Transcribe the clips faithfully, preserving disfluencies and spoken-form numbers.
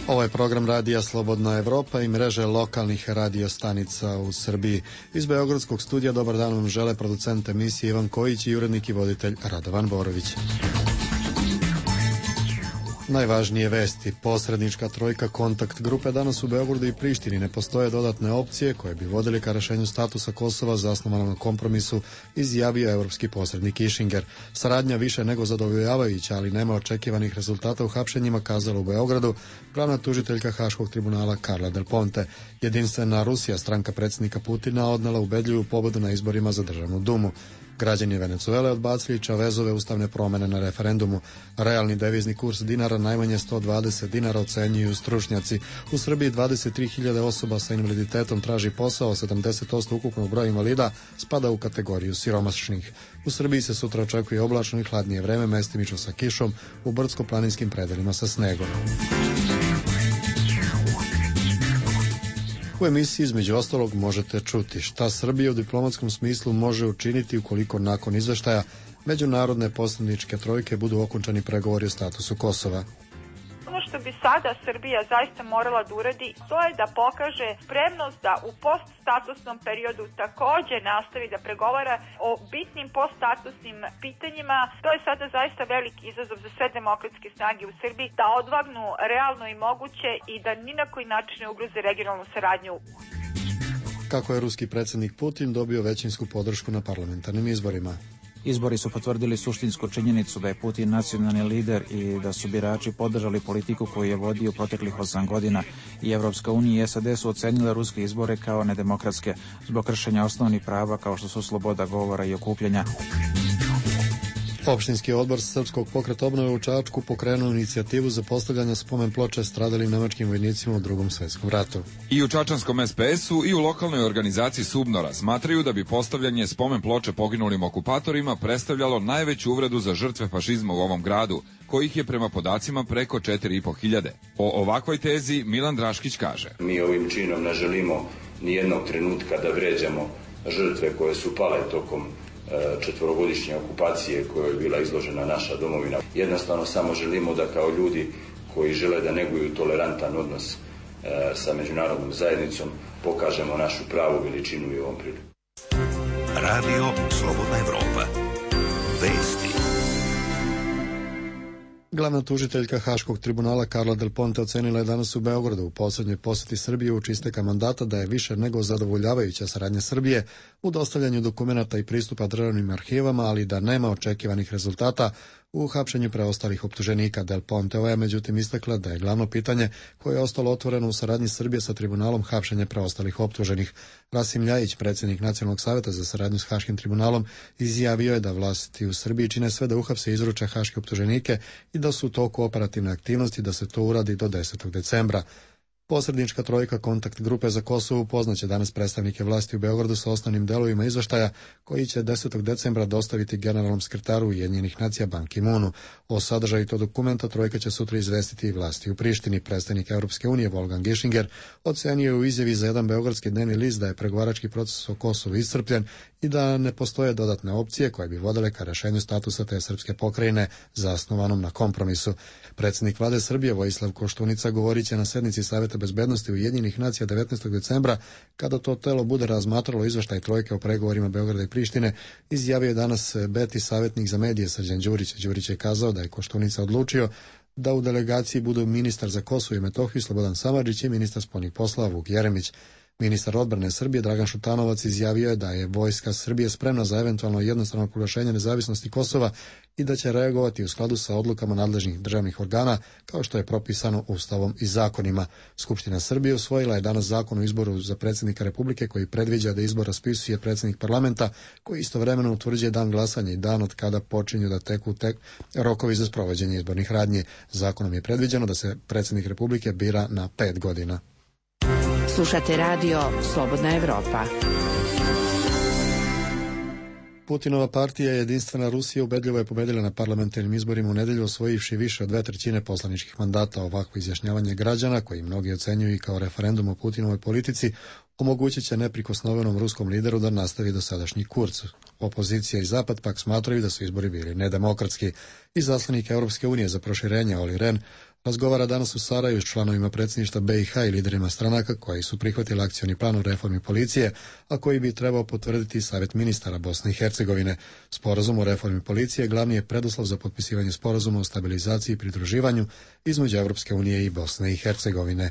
Ovo je program Radija Slobodna Evropa i mreže lokalnih radio stanica u Srbiji. Iz Beogradskog studija dobar dan vam žele producent emisije Ivan Kojić i urednik i voditelj Radovan Borović. Najvažnije vesti. Posrednička trojka kontakt grupe danas u Beogradu i Prištini. Ne postoje dodatne opcije koje bi vodili ka rešenju statusa Kosova zasnovanom na kompromisu, izjavio evropski posrednik Kišinger. Saradnja više nego zadovoljavajuća, ali nema očekivanih rezultata u hapšenjima, kazala u Beogradu glavna tužiteljka Haškog tribunala Carla Del Ponte. Jedinstvena Rusija, stranka predsjednika Putina, odnela ubedljivu pobedu na izborima za državnu dumu. Građani Venecuele odbacili Čavezove ustavne promene na referendumu. Realni devizni kurs dinara najmanje sto dvadeset dinara, ocenjuju stručnjaci. U Srbiji dvadeset tri hiljade osoba sa invaliditetom traži posao, sedamdeset posto ukupnog broja invalida spada u kategoriju siromašnih. U Srbiji se sutra očekuje oblačno i hladnije vreme, mestimično sa kišom, u brdsko-planinskim predelima sa snegom. U emisiji između ostalog možete čuti šta Srbija u diplomatskom smislu može učiniti ukoliko nakon izveštaja međunarodne posredničke trojke budu okončani pregovori o statusu Kosova. Ono što bi sada Srbija zaista morala da uradi, to je da pokaže spremnost da u poststatusnom periodu takođe nastavi da pregovara o bitnim poststatusnim pitanjima. To je sada zaista veliki izazov za sve demokratske snage u Srbiji, da odvagnu realno i moguće i da ni na koji način ne ugroze regionalnu saradnju. Kako je ruski predsjednik Putin dobio većinsku podršku na parlamentarnim izborima? Izbori su potvrdili suštinsku činjenicu da je Putin nacionalni lider i da su birači podržali politiku koju je vodio proteklih osam godina. I Evropska unija i S A D su ocenile ruske izbore kao nedemokratske zbog kršenja osnovnih prava kao što su sloboda govora i okupljanja. Opštinski odbor Srpskog pokreta obnove u Čačku pokrenuo inicijativu za postavljanje spomen ploče stradalim nemačkim vojnicima u Drugom svetskom ratu. I u čačanskom S P S-u i u lokalnoj organizaciji Subnora smatraju da bi postavljanje spomen ploče poginulim okupatorima predstavljalo najveću uvredu za žrtve fašizma u ovom gradu, kojih je prema podacima preko četiri i po hiljade. O ovakvoj tezi Milan Draškić kaže: Mi ovim činom ne želimo ni jednog trenutka da vređamo žrtve koje su pale tokom četvorogodišnje okupacije kojoj je bila izložena naša domovina. Jednostavno samo želimo da kao ljudi koji žele da neguju tolerantan odnos e, sa međunarodnom zajednicom pokažemo našu pravu veličinu i ovom priliku. Radio Slobodna Evropa. Vesti. Glavna tužiteljka Haškog tribunala Carla Del Ponte ocenila je danas u Beogradu u poslednjoj poseti Srbije uoči isteka mandata da je više nego zadovoljavajuća saradnja Srbije u dostavljanju dokumenata i pristupa državnim arhivama, ali da nema očekivanih rezultata u hapšenju preostalih optuženika. Del Ponte je međutim istakla da je glavno pitanje koje je ostalo otvoreno u saradnji Srbije sa tribunalom hapšenje preostalih optuženih. Rasim Ljajić, predsjednik Nacionalnog saveta za saradnju s Haškim tribunalom, izjavio je da vlasti u Srbiji čine sve da uhapse i izruče haške optuženike i da su u toku operativne aktivnosti da se to uradi do desetog decembra. Posrednička trojka kontakt grupe za Kosovo upoznaće danas predstavnike vlasti u Beogradu sa osnovnim delovima izveštaja koji će desetog decembra dostaviti generalnom sekretaru Ujedinjenih nacija Ban Ki-moonu. O sadržaju tog dokumenta trojka će sutra izvestiti i vlasti u Prištini. Predstavnik Evropske unije Wolfgang Ischinger ocenio u izjavi za jedan beogradski dnevni list da je pregovarački proces o Kosovu iscrpljen i da ne postoje dodatne opcije koje bi vodile ka rešenju statusa te srpske pokrajine zasnovanom na kompromisu. Predsjednik vlade Srbije Vojislav Koštunica govorit će na sednici Saveta bezbednosti Ujedinjenih nacija devetnaestog decembra, kada to telo bude razmatralo izveštaj trojke o pregovorima Beograda i Prištine. Izjavio je danas Beti savjetnik za medije Srđan Đurić. Đurić je kazao da je Koštunica odlučio da u delegaciji budu ministar za Kosovo i Metohiju Slobodan Samardžić i ministar spoljnih poslova Vuk Jeremić. Ministar odbrane Srbije Dragan Šutanovac izjavio je da je vojska Srbije spremna za eventualno jednostrano proglašenje nezavisnosti Kosova i da će reagovati u skladu sa odlukama nadležnih državnih organa kao što je propisano Ustavom i zakonima. Skupština Srbije usvojila je danas zakon o izboru za predsjednika Republike koji predviđa da izbor raspisuje predsjednik parlamenta koji istovremeno utvrđuje dan glasanja i dan od kada počinju da teku tek rokovi za sprovođenje izbornih radnji. Zakonom je predviđeno da se predsjednik Republike bira na pet godina. Slušate radio Slobodna Evropa. Putinova partija Jedinstvena Rusija ubedljivo je pobedila na parlamentarnim izborima u nedelju, osvojivši više od dve trećine poslaničkih mandata. Ovakvo izjašnjavanje građana, koji mnogi ocenjuju i kao referendum o Putinovoj politici, omogućit će neprikosnovenom ruskom lideru da nastavi dosadašnji kurs. Opozicija i Zapad pak smatraju da su izbori bili nedemokratski. Izaslanik Evropske unije za proširenje Olli Rehn razgovara danas u Sarajevu s članovima predsjedništva B i H i liderima stranaka koji su prihvatili akcioni plan o reformi policije, a koji bi trebao potvrditi Savjet ministara Bosne i Hercegovine. Sporazum o reformi policije glavni je preduslov za potpisivanje sporazuma o stabilizaciji i pridruživanju između Europske unije i Bosne i Hercegovine.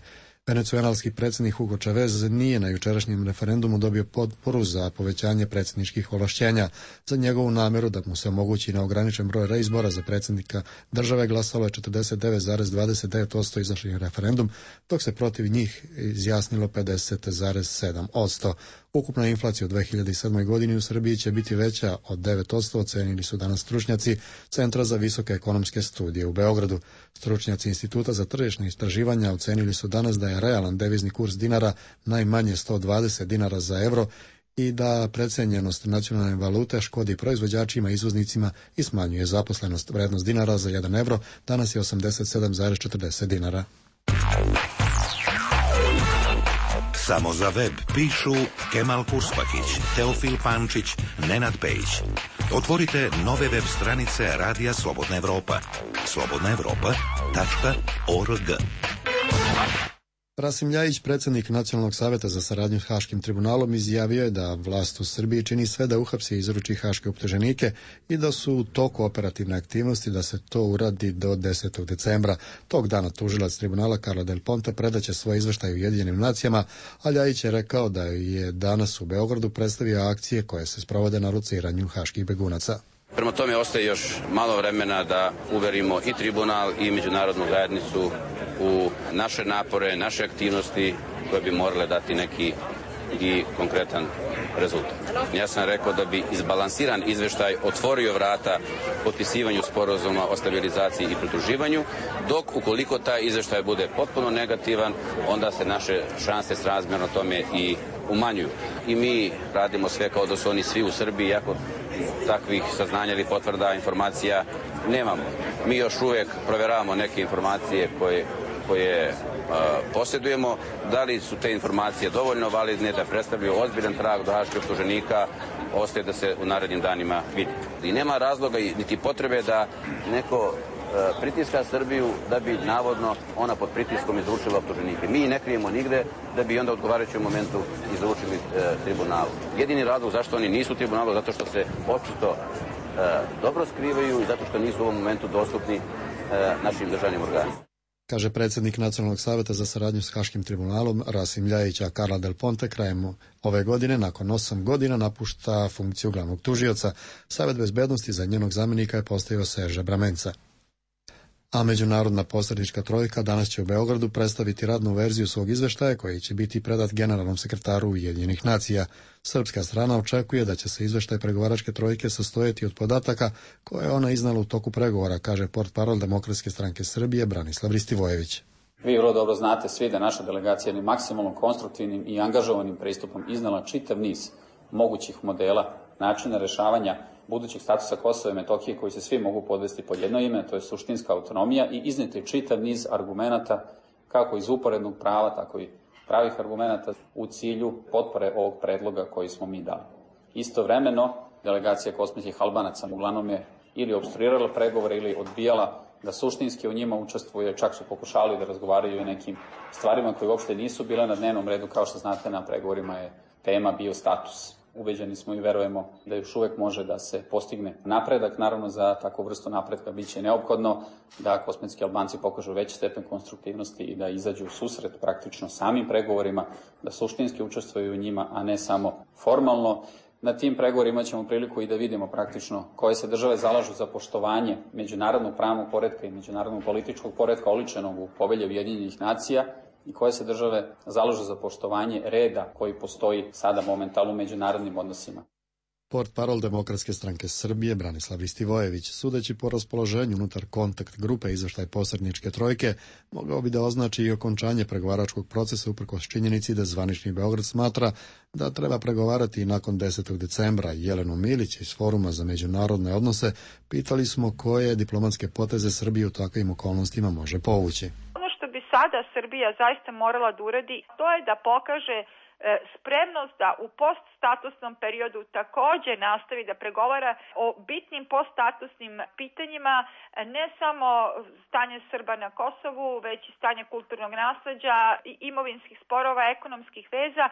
Venecuelanski predsjednik Hugo Chavez nije na jučerašnjem referendumu dobio potporu za povećanje predsjedničkih ovlašćenja. Za njegovu namjeru da mu se omogući neograničen broj reizbora za predsjednika države glasalo je četrdeset devet zarez dvadeset devet posto izašlih na referendum, dok se protiv njih izjasnilo pedeset zarez sedam posto. Ukupna inflacija u dve hiljade sedmoj. godini u Srbiji će biti veća od devet posto, ocenili su danas stručnjaci Centra za visoke ekonomske studije u Beogradu. Stručnjaci Instituta za tržišne istraživanja ocenili su danas da je realan devizni kurs dinara najmanje sto dvadeset dinara za euro i da precenjenost nacionalne valute škodi proizvođačima i izvoznicima i smanjuje zaposlenost. Vrednost dinara za jedan evro danas je osamdeset sedam zarez četrdeset dinara. Samo za web pišu Kemal Kurspakić, Teofil Pančić, Nenad Pejić. Otvorite nove web stranice Radija Slobodna Evropa. slobodna evropa tačka org. Rasim Ljajić, predsjednik Nacionalnog savjeta za saradnju s Haškim tribunalom, izjavio je da vlast u Srbiji čini sve da uhapsi i izruči haške optuženike i da su u toku operativne aktivnosti da se to uradi do desetog decembra. Tog dana tužilac tribunala Carla Del Ponte predaće svoj izveštaj Ujedinjenim nacijama, a Ljajić je rekao da je danas u Beogradu predstavio akcije koje se sprovode na lociranju haških begunaca. Prema tome ostaje još malo vremena da uverimo i tribunal i međunarodnu zajednicu u naše napore, naše aktivnosti koje bi morale dati neki i konkretan rezultat. Ja sam rekao da bi izbalansiran izveštaj otvorio vrata potpisivanju sporazuma o stabilizaciji i pridruživanju, dok ukoliko taj izveštaj bude potpuno negativan, onda se naše šanse srazmjerno tome i umanjuju. I mi radimo sve kao da su oni svi u Srbiji, iako takvih saznanja ili potvrda informacija nemamo. Mi još uvijek proveravamo neke informacije koje, koje uh, posjedujemo. Da li su te informacije dovoljno validne da predstavljaju ozbiljan trag do haških optuženika, ostaje da se u narednim danima vidi. I nema razloga niti potrebe da neko pritiska Srbiju da bi navodno ona pod pritiskom izručila optuženike. Mi ne krijemo nigde da bi onda u odgovarajućem momentu izručili e, tribunalu. Jedini razlog zašto oni nisu u tribunalu, zato što se očito e, dobro skrivaju i zato što nisu u ovom momentu dostupni e, našim državnim organima. Kaže predsjednik Nacionalnog savjeta za saradnju s Haškim tribunalom Rasim Ljajić, a Carla Del Ponte krajem ove godine, nakon osam godina, napušta funkciju glavnog tužioca. Savjet bezbednosti za njenog zamjenika je postavio Serže Bramenca. A međunarodna posrednička trojka danas će u Beogradu predstaviti radnu verziju svog izveštaja koji će biti predat generalnom sekretaru Ujedinjenih nacija. Srpska strana očekuje da će se izveštaj pregovaračke trojke sastojati od podataka koje je ona iznala u toku pregovora, kaže portparol Demokratske stranke Srbije Branislav Ristivojević. Vi vrlo dobro znate svi da naša delegacija jednim maksimalno konstruktivnim i angažovanim pristupom iznala čitav niz mogućih modela, načina rešavanja budućeg statusa Kosova i Metohije koji se svi mogu podvesti pod jedno ime, to je suštinska autonomija, i izneti čitav niz argumenata kako iz uporednog prava, tako i pravih argumenata u cilju potpore ovog predloga koji smo mi dali. Istovremeno, delegacija kosovskih Albanaca uglavnom je ili opstruirala pregovore ili odbijala da suštinski u njima učestvuje, čak su pokušali da razgovaraju o nekim stvarima koje uopšte nisu bile na dnevnom redu. Kao što znate, na pregovorima je tema bio status. Ubeđeni smo i verujemo da još uvek može da se postigne napredak. Naravno, za takvu vrstu napretka biće neophodno da kosmetski Albanci pokažu veći stepen konstruktivnosti i da izađu u susret praktično samim pregovorima, da suštinski učestvuju u njima, a ne samo formalno. Na tim pregovorima ćemo priliku i da vidimo praktično koje se države zalažu za poštovanje međunarodnog pravnog poretka i međunarodnog političkog poretka oličenog u Povelji Ujedinjenih nacija i koje se države zalažu za poštovanje reda koji postoji sada momentalno u međunarodnim odnosima. Portparol Demokratske stranke Srbije Branislav Ristivojević, sudeći po raspoloženju unutar kontakt grupe izveštaj posredničke trojke, mogao bi da označi i okončanje pregovaračkog procesa uprkos činjenici da zvanični Beograd smatra da treba pregovarati i nakon desetog decembra. Jelenu Milić iz Foruma za međunarodne odnose pitali smo koje diplomatske poteze Srbije u takvim okolnostima može povući. Ono što bi sada Srbija zaista morala da uradi, to je da pokaže spremnost da u poststatusnom periodu takođe nastavi da pregovara o bitnim poststatusnim pitanjima, ne samo stanje Srba na Kosovu, već i stanje kulturnog nasleđa, imovinskih sporova, ekonomskih veza,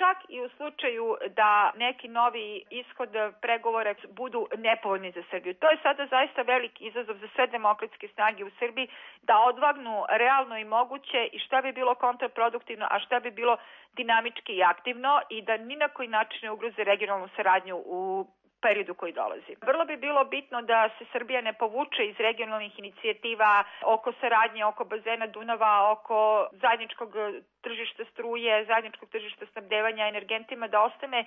čak i u slučaju da neki novi ishod pregovora budu nepovoljni za Srbiju. To je sada zaista veliki izazov za sve demokratske snage u Srbiji da odvagnu realno i moguće i šta bi bilo kontraproduktivno, a šta bi bilo dinamički i aktivno i da ni na koji način ne ugroze regionalnu saradnju u periodu koji dolazi. Vrlo bi bilo bitno da se Srbija ne povuče iz regionalnih inicijativa oko saradnje, oko bazena Dunava, oko zajedničkog tržišta struje, zajedničkog tržišta snabdevanja energentima, da ostane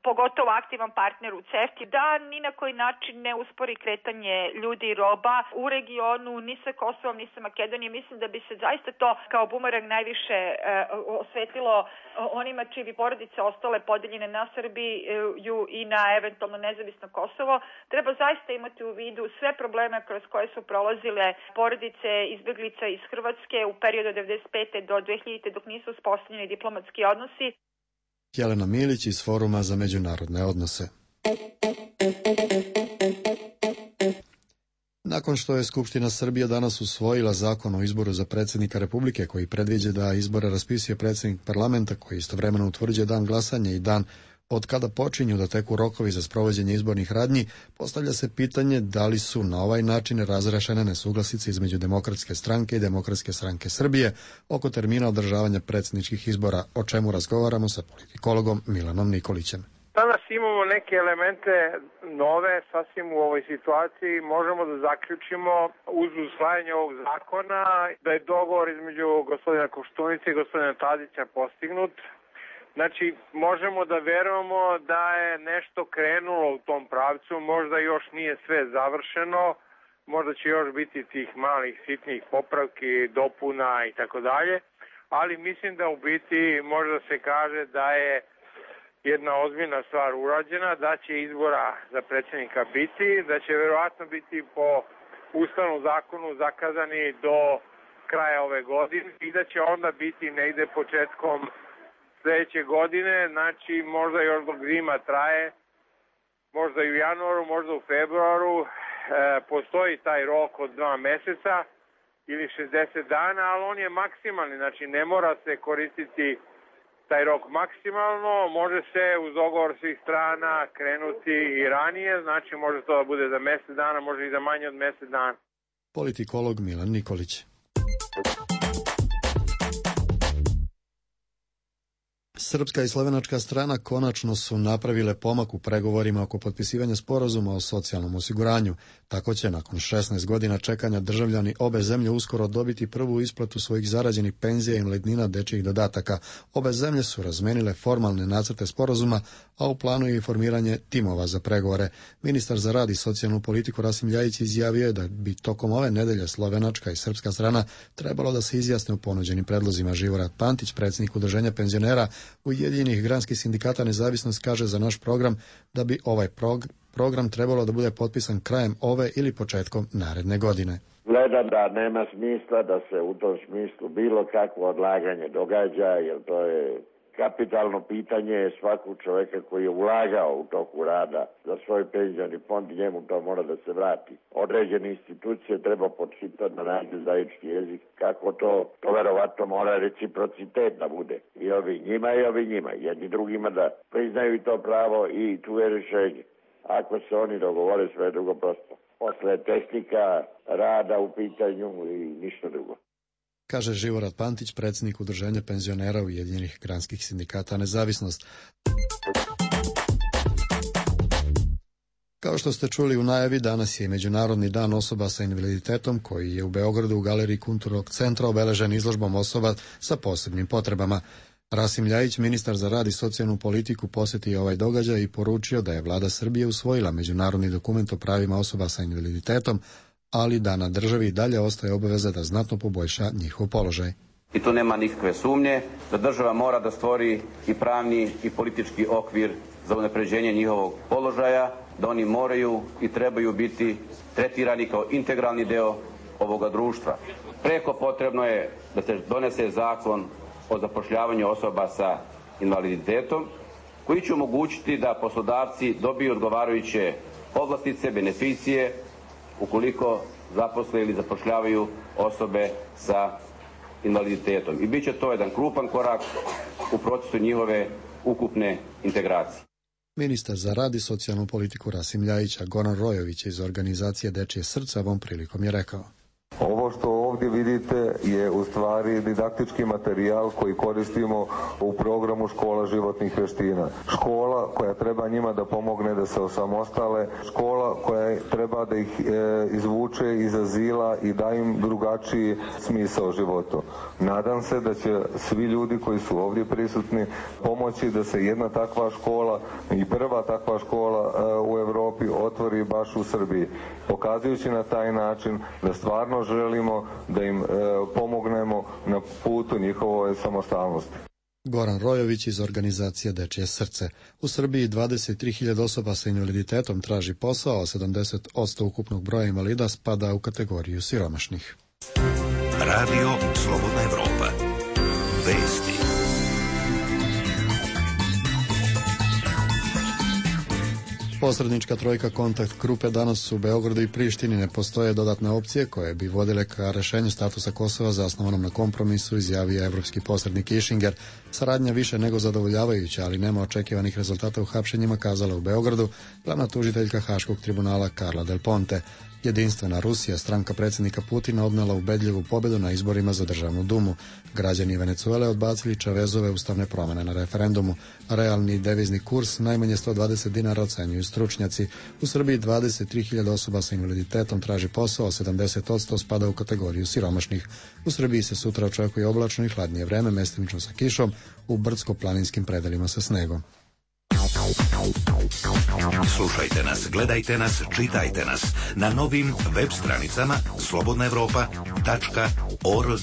pogotovo aktivan partner u CEFTA, da ni na koji način ne uspori kretanje ljudi i roba u regionu, ni sa Kosovom, ni sa Makedonijom. Mislim da bi se zaista to kao bumerang najviše e, osvetilo onima čiji bi porodice ostale podeljene na Srbiju i na eventualno nezavisno Kosovo. Treba zaista imati u vidu sve probleme kroz koje su prolazile porodice izbeglica iz Hrvatske u periodu od devedeset pete do dve hiljadite dok nisu uspostavljeni diplomatski odnosi. Jelena Milić iz Foruma za međunarodne odnose. Nakon što je Skupština Srbije danas usvojila zakon o izboru za predsjednika Republike koji predviđa da izbore raspisuje predsjednik parlamenta koji istovremeno utvrđuje dan glasanja i dan od kada počinju da teku rokovi za sprovođenje izbornih radnji, postavlja se pitanje da li su na ovaj način razrešene nesuglasice između Demokratske stranke i Demokratske stranke Srbije oko termina održavanja predsjedničkih izbora, o čemu razgovaramo sa politikologom Milanom Nikolićem. Danas imamo neke elemente nove, sasvim u ovoj situaciji. Možemo da zaključimo uz usvajanje ovog zakona da je dogovor između gospodina Koštunice i gospodina Tadića postignut. Znači, možemo da verujemo da je nešto krenulo u tom pravcu, možda još nije sve završeno, možda će još biti tih malih sitnih popravki, dopuna i tako dalje, ali mislim da u biti možda se kaže da je jedna ozbiljna stvar urađena, da će izbora za predsjednika biti, da će verovatno biti po ustavnom zakonu zakazani do kraja ove godine i da će onda biti negde početkom sljedeće godine, znači možda još dok zima traje, možda i u januaru, možda u februaru, e, postoji taj rok od dva meseca ili šezdeset dana, ali on je maksimalni, znači ne mora se koristiti taj rok maksimalno, može se uz dogovor svih strana krenuti i ranije, znači može to da bude za mesec dana, može i za manje od mesec dana. Politikolog Milan Nikolić. Srpska i slovenačka strana konačno su napravile pomak u pregovorima oko potpisivanja sporazuma o socijalnom osiguranju. Tako će nakon šesnaest godina čekanja državljani obe zemlje uskoro dobiti prvu isplatu svojih zarađenih penzija i invalidnina, dečjih dodataka. Obe zemlje su razmenile formalne nacrte sporazuma, a u planu je i formiranje timova za pregovore. Ministar za rad i socijalnu politiku Rasim Ljajić izjavio je da bi tokom ove nedelje slovenačka i srpska strana trebalo da se izjasne u ponuđenim predlozima. Živorad Pantić, predsjednik Udruženja penzionera Ujedinjenih granskih sindikata Nezavisnost, kaže za naš program da bi ovaj prog- program trebalo da bude potpisan krajem ove ili početkom naredne godine. Gledam da nema smisla da se u tom smislu bilo kakvo odlaganje događa, jer to je kapitalno pitanje svakog čovjeka koji je ulagao u toku rada za svoj penzioni fond i njemu to mora da se vrati. Određene institucije treba podhitati na nađu zajednički jezik. Kako to? To verovatno mora reciprocitet da bude. I ovi njima i ovi njima. Jedni drugima da priznaju i to pravo i tu je rješenje. Ako se oni dogovore, sve drugo prosto. Posle tehnika rada u pitanju i ništa drugo. Kaže Živorad Pantić, predsjednik Udruženja penzionera Ujedinjenih granskih sindikata Nezavisnost. Kao što ste čuli u najavi, danas je Međunarodni dan osoba sa invaliditetom koji je u Beogradu u Galeriji Kulturnog centra obeležen izložbom osoba sa posebnim potrebama. Rasim Ljajić, ministar za rad i socijalnu politiku, posjetio ovaj događaj i poručio da je vlada Srbije usvojila međunarodni dokument o pravima osoba sa invaliditetom, ali da na državi dalje ostaje obaveza da znatno poboljša njihov položaj. I tu nema nikakve sumnje da država mora da stvori i pravni i politički okvir za unapređenje njihovog položaja, da oni moraju i trebaju biti tretirani kao integralni deo ovoga društva. Preko potrebno je da se donese zakon o zapošljavanju osoba sa invaliditetom, koji će omogućiti da poslodavci dobiju odgovarajuće povlastice, beneficije, ukoliko zaposle ili zapošljavaju osobe sa invaliditetom. I bit će to jedan krupan korak u procesu njihove ukupne integracije. Ministar za rad i socijalnu politiku Rasim Ljajić, a Goran Rojović iz organizacije Dečije srce ovom prilikom je rekao: Ovo što ovdje vidite je u stvari didaktički materijal koji koristimo u programu Škola životnih vještina. Škola koja treba njima da pomogne da se osamostale, škola koja treba da ih e, izvuče iz azila i da im drugačiji smisao životu. Nadam se da će svi ljudi koji su ovdje prisutni pomoći da se jedna takva škola i prva takva škola e, u Europi otvori baš u Srbiji, pokazujući na taj način da stvarno želimo da im e, pomognemo na putu njihove samostalnosti. Goran Rojović iz organizacije Dečije srce. U Srbiji dvadeset tri hiljade osoba sa invaliditetom traži posao, a sedamdeset posto ukupnog broja invalida spada u kategoriju siromašnih. Radio Slobodna Evropa. Vesti. Posrednička trojka Kontakt grupe danas u Beogradu i Prištini. Ne postoje dodatne opcije koje bi vodile ka rešenju statusa Kosova zasnovanom na kompromisu, izjavio evropski posrednik Kišinger. Saradnja više nego zadovoljavajuća, ali nema očekivanih rezultata u hapšenjima, kazala u Beogradu glavna tužiteljka Haškog tribunala Carla Del Ponte. Jedinstvena Rusija, stranka predsjednika Putina, odnela ubedljivu pobedu na izborima za državnu dumu. Građani Venecuele odbacili Čavezove ustavne promjene na referendumu. Realni devizni kurs najmanje sto dvadeset dinara ocenjuju stručnjaci. U Srbiji dvadeset tri hiljade osoba sa invaliditetom traži posao, a sedamdeset posto spada u kategoriju siromašnih. U Srbiji se sutra očekuje oblačno i hladnije vreme, mestimično sa kišom, u brdsko-planinskim predelima sa snegom. Slušajte nas, gledajte nas, čitajte nas na novim web stranicama slobodna evropa tačka org.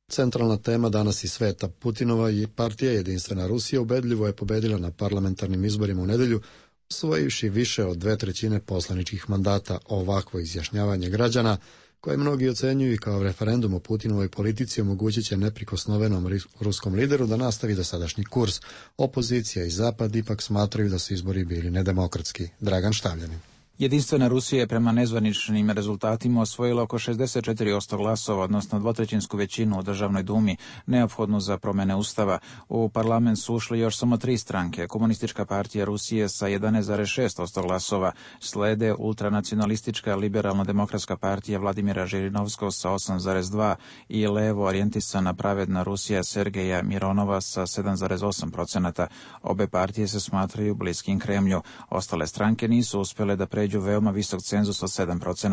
Centralna tema danas i sveta. Putinova i partija Jedinstvena Rusija ubedljivo je pobedila na parlamentarnim izborima u nedelju, osvojivši više od dve trećine poslaničkih mandata. Ovakvo izjašnjavanje građana, koje mnogi ocenjuju kao referendum o Putinovoj politici, omogućit će neprikosnovenom ruskom lideru da nastavi dosadašnji kurs. Opozicija i Zapad ipak smatraju da su izbori bili nedemokratski. Dragan Štavljanin. Jedinstvena Rusija je prema nezvaničnim rezultatima osvojila oko šezdeset četiri posto glasova, odnosno dvotrećinsku većinu u državnoj dumi, neophodnu za promjene ustava. U parlament su ušli još samo tri stranke. Komunistička partija Rusije sa jedanaest zarez šest posto glasova, slede ultranacionalistička liberalno-demokratska partija Vladimira Žirinovskog sa osam zarez dva i levo orijentisana pravedna Rusija Sergeja Mironova sa sedam zarez osam posto. Obe partije se smatraju bliskim Kremlju. Ostale stranke nisu uspjele da pređu veoma visok cenzus od sedam posto.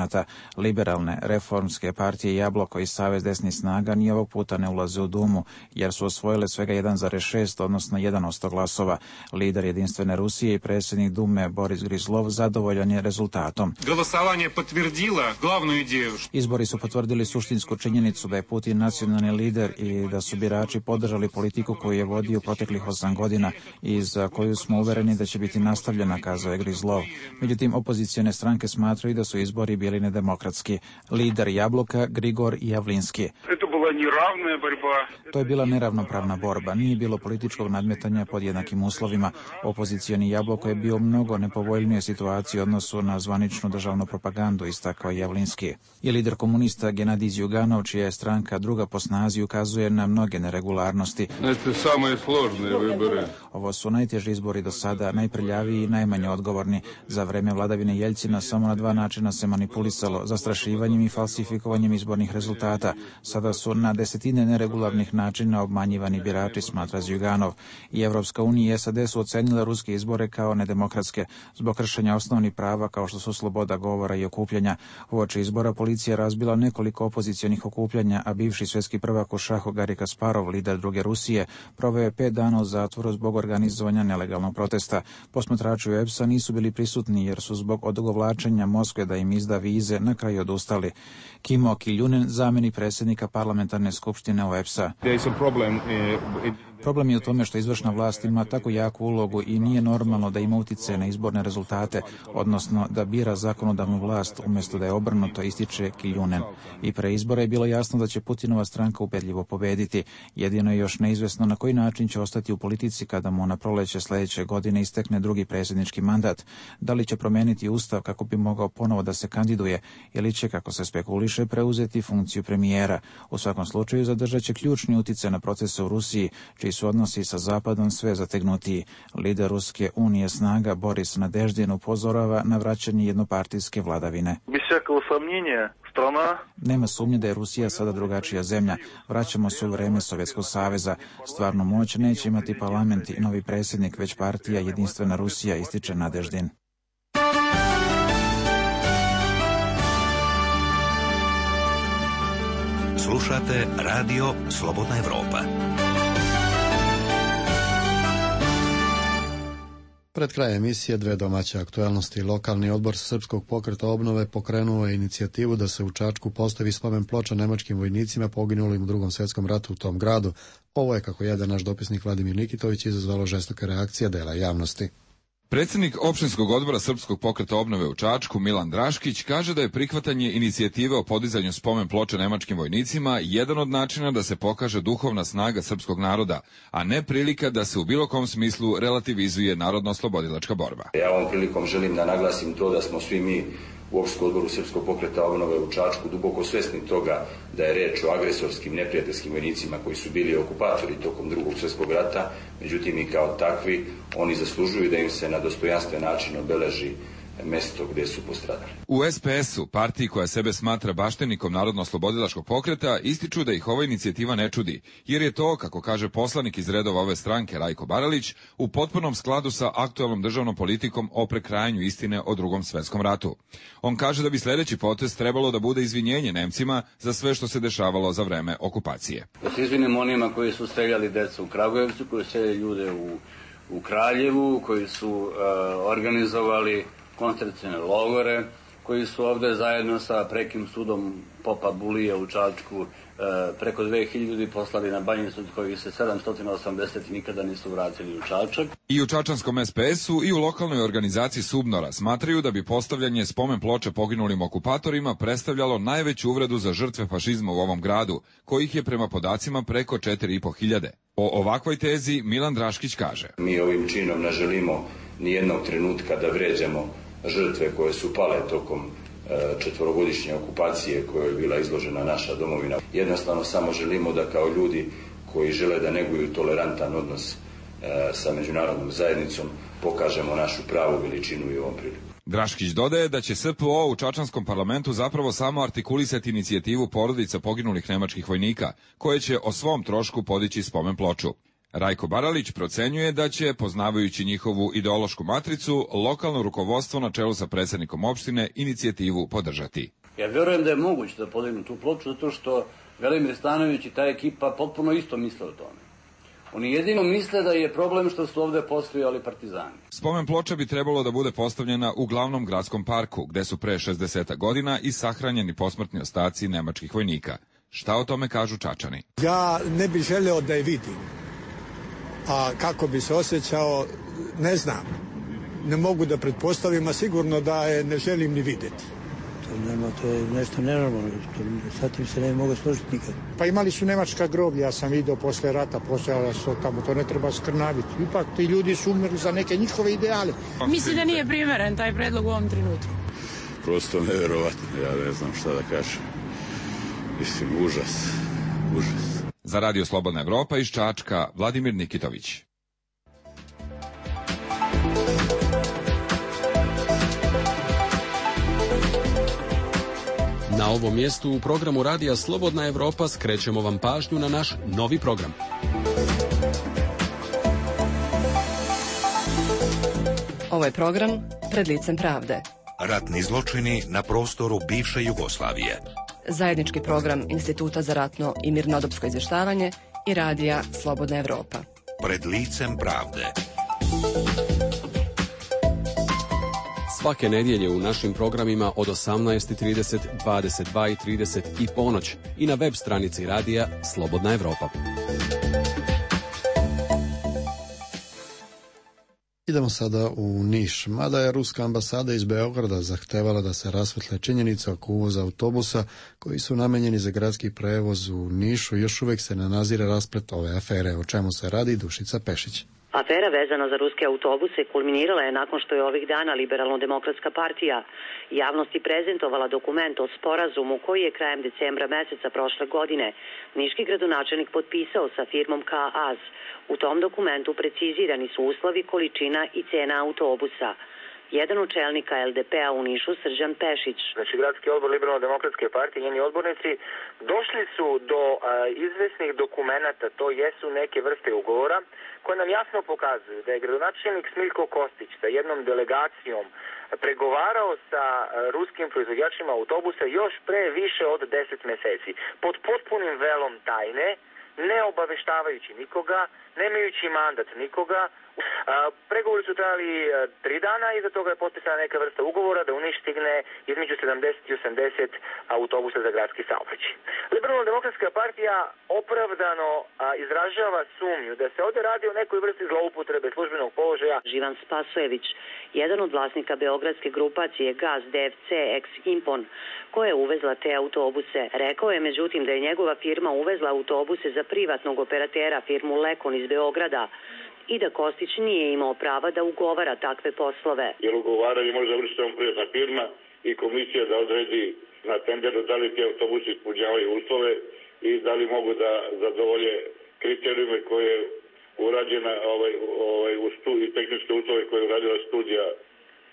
Liberalne reformske partije Jabloko i Savez desnih snaga ni ovog puta ne ulaze u Dumu, jer su osvojile svega jedan zarez šest, odnosno jedan posto glasova. Lider Jedinstvene Rusije i predsjednik Dume Boris Grizlov zadovoljan je rezultatom. Glasovanje potvrdilo glavnu ideju. Izbori su potvrdili suštinsku činjenicu da je Putin nacionalni lider i da su birači podržali politiku koju je vodio proteklih osam godina i za koju smo uvereni da će biti nastavljena, kazao je Grizlov. Međutim, opozicione stranke smatraju da su izbori bili nedemokratski. Lider Jabloka Grigor Javlinski. To je bila neravnopravna borba, nije bilo političkog nadmetanja pod jednakim uslovima. Opozicioni Jabloko je bio u mnogo nepovoljnijoj situaciji u odnosu na zvaničnu državnu propagandu, istakao Javlinski. I lider komunista Genadij Zjuganov, čija je stranka druga po snazi, ukazuje na mnoge neregularnosti. Ovo su najteži izbori do sada, najprljaviji i najmanje odgovorni. Za vreme vladavine Jeljcina samo na dva načina se manipulisalo, zastrašivanjem i falsifikovanjem izbornih rezultata. Sada su na desetine neregularnih načina obmanjivani birači, smatra Zjuganov. I Evropska unija i S A D su ocenile ruske izbore kao nedemokratske zbog kršenja osnovnih prava kao što su sloboda govora i okupljanja. Uoči izbora policija razbila nekoliko opozicionih okupljanja, a bivši svjetski prvak u šahu Garri Kasparov, lider druge Rusije, proveo je pet dana u zatvoru zbog organizovanja nelegalnog protesta. Posmatrači u E P S-a nisu bili prisutni jer su zbog odugovlačenja Moskve da im izda vize na kraju odustali. Kimo Kiljunen, zamjenik predsjednika parlamentarne skupštine U E P S-a. Problem je u tome što izvršna vlast ima tako jaku ulogu i nije normalno da ima uticaje na izborne rezultate, odnosno da bira zakonodavnu vlast umjesto da je obrnuto, ističe Kiljunen. I pre izbora je bilo jasno da će Putinova stranka ubedljivo pobediti. Jedino je još neizvesno na koji način će ostati u politici kada mu na proleće sledeće godine istekne drugi predsjednički mandat. Da li će promeniti ustav kako bi mogao ponovo da se kandiduje ili će, kako se spekuliše, preuzeti funkciju premijera. U svakom slučaju zadržat će ključni uticaj na procese u Rusiji, čiji su odnosi sa Zapadom sve zategnutiji. Lider Ruske unije snaga Boris Nadeždin upozorava na vraćanje jednopartijske vladavine. Nema sumnje da je Rusija sada drugačija zemlja. Vraćamo se u vreme Sovjetskog saveza. Stvarnu moć neće imati parlament i novi predsjednik, već partija Jedinstvena Rusija, ističe Nadeždin. Slušate Radio Slobodna Evropa. Pred kraj emisije dve domaće aktuelnosti. Lokalni odbor Srpskog pokreta obnove pokrenuo je inicijativu da se u Čačku postavi spomen ploča nemačkim vojnicima poginulim u Drugom svjetskom ratu u tom gradu. Ovo je, kako jede naš dopisnik Vladimir Nikitović, izazvalo žestoke reakcije dela javnosti. Predsjednik opštinskog odbora Srpskog pokreta obnove u Čačku, Milan Draškić, kaže da je prihvatanje inicijative o podizanju spomen ploče nemačkim vojnicima jedan od načina da se pokaže duhovna snaga srpskog naroda, a ne prilika da se u bilo kom smislu relativizuje narodno-oslobodilačka borba. Ja ovom prilikom želim da naglasim to da smo svi mi u opštinskom odboru Srpskog pokreta obnove u Čačku duboko svesni toga da je reč o agresorskim neprijateljskim vojnicima koji su bili okupatori tokom Drugog svjetskog rata, međutim i kao takvi oni zaslužuju da im se na dostojanstven način obeleži mesto gde su postradali. U es pe esu, partiji koja sebe smatra baštenikom narodno-oslobodilačkog pokreta, ističu da ih ova inicijativa ne čudi, jer je to, kako kaže poslanik iz redova ove stranke Rajko Baralić, u potpunom skladu sa aktuelnom državnom politikom o prekrajanju istine o Drugom svetskom ratu. On kaže da bi sledeći potez trebalo da bude izvinjenje Nemcima za sve što se dešavalo za vreme okupacije. Da se izvinimo onima koji su streljali decu u Kragujevcu, koji su streljali ljude u, u Kraljevu, koji su uh, organizovali koncentracione logore, koji su ovde zajedno sa prekim sudom Popa Bulija u Čačku preko dve hiljade ljudi poslali na Banjicu, od kojih se sedamsto osamdeset nikada nisu vratili u Čačak. I u čačanskom es pe esu i u lokalnoj organizaciji Subnora smatraju da bi postavljanje spomen ploče poginulim okupatorima predstavljalo najveću uvredu za žrtve fašizma u ovom gradu, kojih je prema podacima preko četiri i po hiljade. O ovakvoj tezi Milan Draškić kaže: Mi ovim činom ne želimo ni jednog trenutka da vređamo žrtve koje su pale tokom četvorogodišnje okupacije koje je bila izložena naša domovina. Jednostavno samo želimo da kao ljudi koji žele da neguju tolerantan odnos sa međunarodnom zajednicom pokažemo našu pravu veličinu i ovom priliku. Draškić dodaje da će es pe o u čačanskom parlamentu zapravo samo artikulisati inicijativu porodica poginulih nemačkih vojnika, koje će o svom trošku podići spomen ploču. Rajko Baralić procenjuje da će, poznavajući njihovu ideološku matricu, lokalno rukovodstvo na čelu sa predsjednikom opštine inicijativu podržati. Ja vjerujem da je moguće da podignu tu ploču, zato što Velimir Stanojević i ta ekipa potpuno isto misle o tome. Oni jedino misle da je problem što su ovde postojali partizani. Spomen ploča bi trebalo da bude postavljena u glavnom gradskom parku, gde su pre šezdeset godina i sahranjeni posmrtni ostaci nemačkih vojnika. Šta o tome kažu Čačani? Ja ne bih želeo da je vidim. A kako bi se osjećao, ne znam. Ne mogu da pretpostavim, a sigurno da je ne želim ni videti. To, nema, to je nešto nenormalno. Sa tim se ne mogu složiti nikad. Pa imali su nemačka groblja, ja sam vidio posle rata, postojala su tamo, to ne treba skrnaviti. Ipak ti ljudi su umrli za neke njihove ideale. Mislim da nije primeren taj predlog u ovom trenutku. Prosto neverovatno, ja ne znam šta da kažem. Mislim, užas, užas. Za Radio Slobodna Evropa iz Čačka, Vladimir Nikitović. Na ovom mjestu u programu Radija Slobodna Evropa skrećemo vam pažnju na naš novi program. Ovo je program Pred licem pravde. Ratni zločini na prostoru bivše Jugoslavije. Zajednički program Instituta za ratno i mirnodopsko izvještavanje i Radija Slobodna Evropa. Pred licem pravde. Svake nedjelje u našim programima od osamnaest i trideset, dvadeset dva i trideset i ponoć i na web stranici Radija Slobodna Evropa. Idemo sada u Niš. Mada je ruska ambasada iz Beograda zahtevala da se rasvetle činjenice oko uvoza autobusa koji su namenjeni za gradski prevoz u Nišu, još uvek se ne nazire rasplet ove afere. O čemu se radi, Dušica Pešić. Afera vezana za ruske autobuse kulminirala je nakon što je ovih dana Liberalno-demokratska partija javnosti prezentovala dokument o sporazumu koji je krajem decembra meseca prošle godine niški gradonačelnik potpisao sa firmom K A Z. U tom dokumentu precizirani su uslovi, količina i cena autobusa. Jedan od čelnika L D P-a u Nišu, Srđan Pešić. Znači, gradski odbor Liberalno-demokratske partije i njeni odbornici došli su do a, izvesnih dokumenata, to jesu neke vrste ugovora, koje nam jasno pokazuju da je gradonačelnik Smiljko Kostić sa jednom delegacijom pregovarao sa a, ruskim proizvođačima autobusa još pre više od deset meseci, pod potpunim velom tajne, ne obaveštavajući nikoga, nemajući mandat nikoga. A, pregovori su trajali a, tri dana i za toga je potpisana neka vrsta ugovora da u Niš stigne između sedamdeset i osamdeset autobusa za gradski saobraćaj. Liberalno-demokratska partija opravdano a, izražava sumnju da se ovde radi o nekoj vrsti zloupotrebe službenog položaja. Živan Spasojević, jedan od vlasnika beogradske grupacije G A Z D F C ex Impon, koja je uvezla te autobuse, rekao je međutim da je njegova firma uvezla autobuse za privatnog operatera, firmu Lekon iz Beograda, i da Kostić nije imao prava da ugovara takve poslove. Jer ugovaranje može završiti samo privatna firma i komisija da odredi na tenderu da li ti autobusi ispunjavaju uslove i da li mogu da zadovolje kriterijume koje je urađena ovaj, ovaj, u stu, i tehničke uslove koje je uradila studija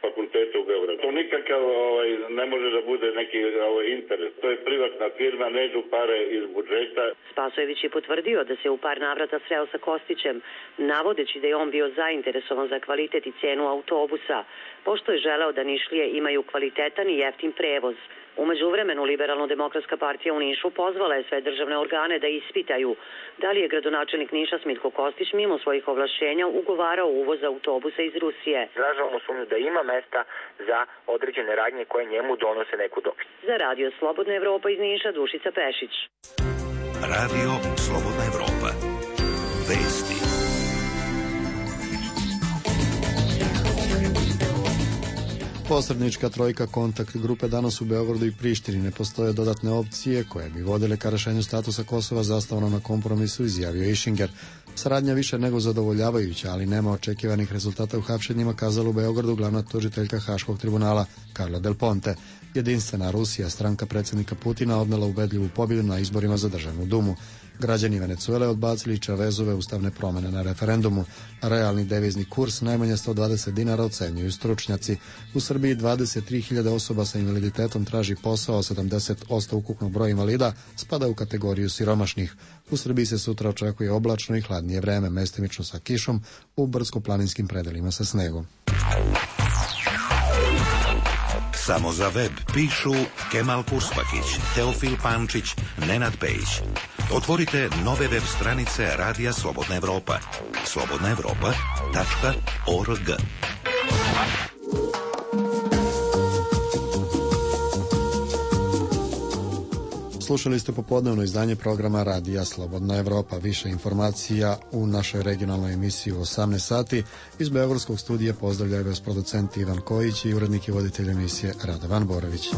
fakulteta u Beogradu. To nikakav ovaj, ne može da bude neki ovaj, interes. To je privatna firma, ne idu pare iz budžeta. Spasojević je potvrdio da se u par navrata sreo sa Kostićem, navodeći da je on bio zainteresovan za kvalitet i cenu autobusa, pošto je želeo da Nišlije imaju kvalitetan i jeftin prevoz. U međuvremenu Liberalno-demokratska partija u Nišu pozvala je sve državne organe da ispitaju da li je gradonačelnik Niša Smiljko Kostić mimo svojih ovlašćenja ugovarao uvoz autobusa iz Rusije. Izražavamo sumnju da ima mesta za određene radnje koje njemu donose neku dobit. Za Radio Slobodna Evropa iz Niša, Dušica Pešić. Radio Slobodna Evropa. Vesti. Posrednička trojka kontakt grupe danas u Beogradu i Prištini. Ne postoje dodatne opcije koje bi vodile ka rešenju statusa Kosova zasnovano na kompromisu, izjavio Išinger. Saradnja više nego zadovoljavajuća, ali nema očekivanih rezultata u hapšenjima, kazala u Beogradu glavna tužiteljka Haškog tribunala Carla Del Ponte. Jedinstvena Rusija, stranka predsjednika Putina, odnela ubedljivu pobjedu na izborima za državnu dumu. Građani Venecuele odbacili Čavezove ustavne promene na referendumu. Realni devizni kurs najmanje sto dvadeset dinara ocenjuju stručnjaci. U Srbiji dvadeset tri hiljade osoba sa invaliditetom traži posao, sedamdeset posto ukupnog broja invalida spada u kategoriju siromašnih. U Srbiji se sutra očekuje oblačno i hladnije vreme, mestimično sa kišom, u brdsko-planinskim predelima sa snegom. Samo za web pišu Kemal Kurspakić, Teofil Pančić, Nenad Pejić. Otvorite nove web stranice Radija Slobodna Evropa. slobodna evropa tačka org. Slušali ste popodnevno izdanje programa Radija Slobodna Evropa. Više informacija u našoj regionalnoj emisiji u osamnaest sati. Iz Beogradskog studija pozdravljaju vas producent Ivan Kojić i urednik i voditelj emisije Radovan Borović.